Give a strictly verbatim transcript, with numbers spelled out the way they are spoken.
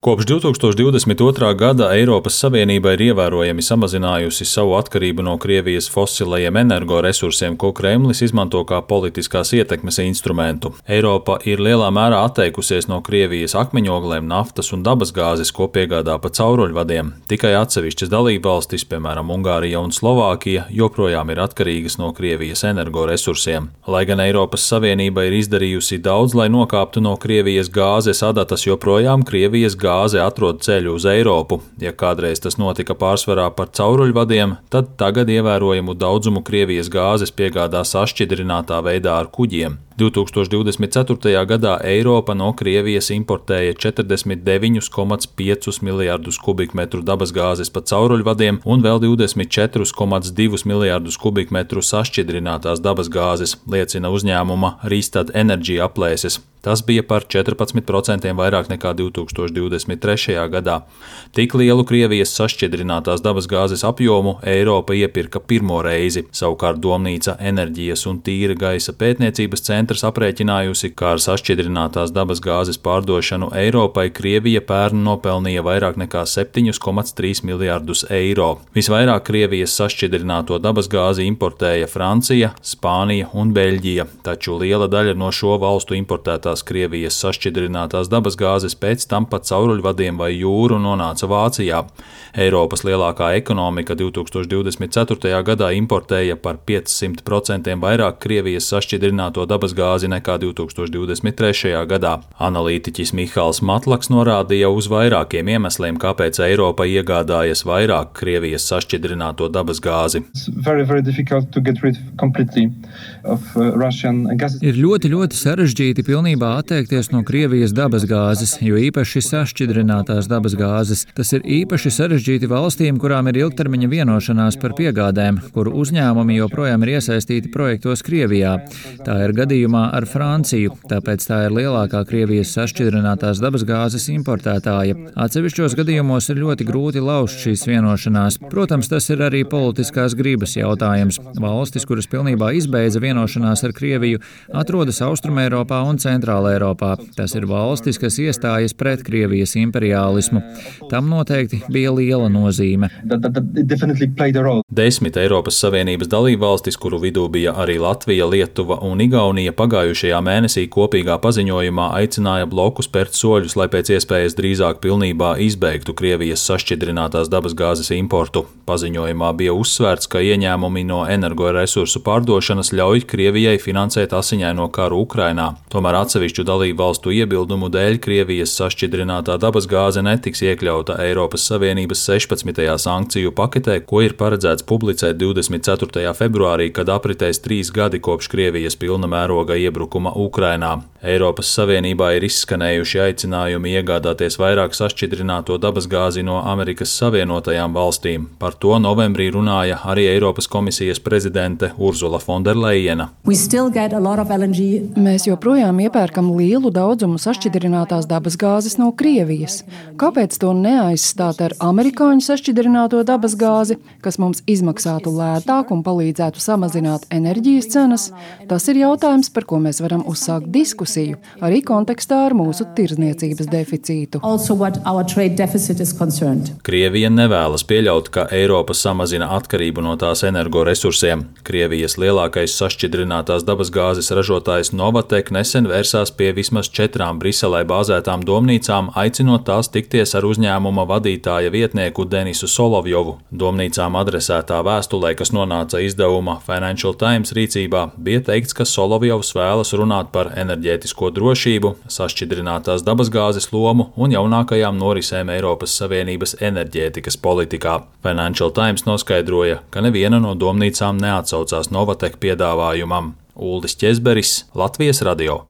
Kopš divi tūkstoši divdesmit otrā gada Eiropas Savienība ir ievērojami samazinājusi savu atkarību no Krievijas fosilajiem energoresursiem, ko Kremlis izmanto kā politiskās ietekmes instrumentu. Eiropa ir lielā mērā atteikusies no Krievijas akmeņoglēm, naftas un dabasgāzes, ko piegādā pa cauruļvadiem. Tikai atsevišķas dalībvalstis, piemēram Ungārija un Slovākija, joprojām ir atkarīgas no Krievijas energoresursiem. Lai gan Eiropas Savienība ir izdarījusi daudz, lai nokāptu no Krievijas gāzes adatas, joprojām Krievijas gāzes Gāze atrod ceļu uz Eiropu. Ja kādreiz tas notika pārsvarā par cauruļvadiem, tad tagad ievērojamu daudzumu Krievijas gāzes piegādā sašķidrinātā veidā ar kuģiem. divi tūkstoši divdesmit ceturtajā gadā Eiropa no Krievijas importēja četrdesmit deviņus komats piecus miljardus kubikmetru dabasgāzes pa cauruļvadiem un vēl divdesmit četrus komats divus miljardus kubikmetru sašķidrinātās dabasgāzes, liecina uzņēmuma Rystad Energy aplēses. Tas bija par četrpadsmit procentiem vairāk nekā divi tūkstoši divdesmit trešajā gadā. Tik lielu Krievijas sašķidrinātās dabasgāzes apjomu Eiropa iepirka pirmo reizi. Savukārt Domnīca enerģijas un tīra gaisa pētniecības centrs aprēķinājusi, ka ar sašķidrinātās dabasgāzes pārdošanu Eiropai Krievija pērn nopelnīja vairāk nekā septiņus komats trīs miljardus eiro. Visvairāk Krievijas sašķidrināto dabasgāzi importēja Francija, Spānija un Beļģija, taču liela daļa no šo valstu importētā Krievijas sašķidrinātās dabasgāzes pēc tam pa cauruļvadiem vai jūru nonāca Vācijā. Eiropas lielākā ekonomika divi tūkstoši divdesmit ceturtajā gadā importēja par piecsimt procentiem vairāk Krievijas sašķidrināto dabasgāzi nekā divi tūkstoši divdesmit trešajā gadā. Analītiķis Mihāls Matlaks norādīja uz vairākiem iemesliem, kāpēc Eiropa iegādājas vairāk Krievijas sašķidrināto dabasgāzi. Very, very Ir ļoti, ļoti sarežģīti pilnībā atteikties no Krievijas dabasgāzes, jo īpaši sašķidrinātās dabasgāzes. Tas ir īpaši sarežģīti valstīm, kurām ir ilgtermiņa vienošanās par piegādēm, kuru uzņēmumi joprojām ir iesaistīti projektos Krievijā. Tā ir gadījumā ar Franciju, tāpēc tā ir lielākā Krievijas sašķidrinātās dabasgāzes importētāja. Atsevišķos gadījumos ir ļoti grūti lauzt šīs vienošanās. Protams, tas ir arī politiskās gribas jautājums. Valstis, kuras pilnībā izbeidza vienošanās ar Krieviju, atrodas Austrumeiropā un Centrālā Eiropā. Tas ir valstis, kas iestājas pret Krievijas imperiālismu. Tam noteikti bija liela nozīme. Desmit Eiropas Savienības dalībvalstis, kuru vidū bija arī Latvija, Lietuva un Igaunija, pagājušajā mēnesī kopīgā paziņojumā aicināja bloku spērt soļus, lai pēc iespējas drīzāk pilnībā izbeigtu Krievijas sašķidrinātās dabasgāzes importu. Paziņojumā bija uzsvērts, ka ieņēmumi no energoresursu pārdošanas ļauj Krievijai finansēt asiņaino karu Ukrainā. Tomēr atsevišķu dalību valstu iebildumu dēļ Krievijas sašķidrinātā dabasgāze netiks iekļauta Eiropas Savienības sešpadsmitajā sankciju paketē, ko ir paredzēts publicēt divdesmit ceturtajā februārī, kad apritēs trīs gadi kopš Krievijas pilna mēroga iebrukuma Ukrainā. Eiropas Savienībā ir izskanējuši aicinājumi iegādāties vairāk sašķidrināto dabasgāzi no Amerikas Savienotajām valstīm. Par to novembrī runāja arī Eiropas komisijas prezidente Urzula Fonderlejena. Mēs joprojām iepērkam lielu daudzumu sašķidrinātās dabasgāzes no Krievijas. Kāpēc to neaizstāt ar amerikāņu sašķidrināto dabasgāzi, kas mums izmaksātu lētāk un palīdzētu samazināt enerģijas cenas? Tas ir jautājums, par ko mēs varam uzsākt diskusiju, arī kontekstā ar mūsu tirdzniecības deficītu. Krievija nevēlas pieļaut, ka Eiropa samazina atkarību no tās energoresursiem. Krievijas lielākais sašķidrinātās dabasgāzes ražotājs Novatek nesen vērsās pie vismaz četrām Briselē bāzētām domnīcām, aicinot tās tikties ar uzņēmuma vadītāja vietnieku Denisu Solovjovu. Domnīcām adresētā vēstulē, kas nonāca izdevuma Financial Times rīcībā, bija teikts, ka Solovjovs vēlas runāt par enerģētisko drošību, sašķidrinātās dabasgāzes lomu un jaunākajām norisēm Eiropas Savienības enerģētikas politikā. Financial Times noskaidroja, ka neviena no domnīcām neatsaucās Novatek piedāvājumam. Uldis Ķezberis, Latvijas radio.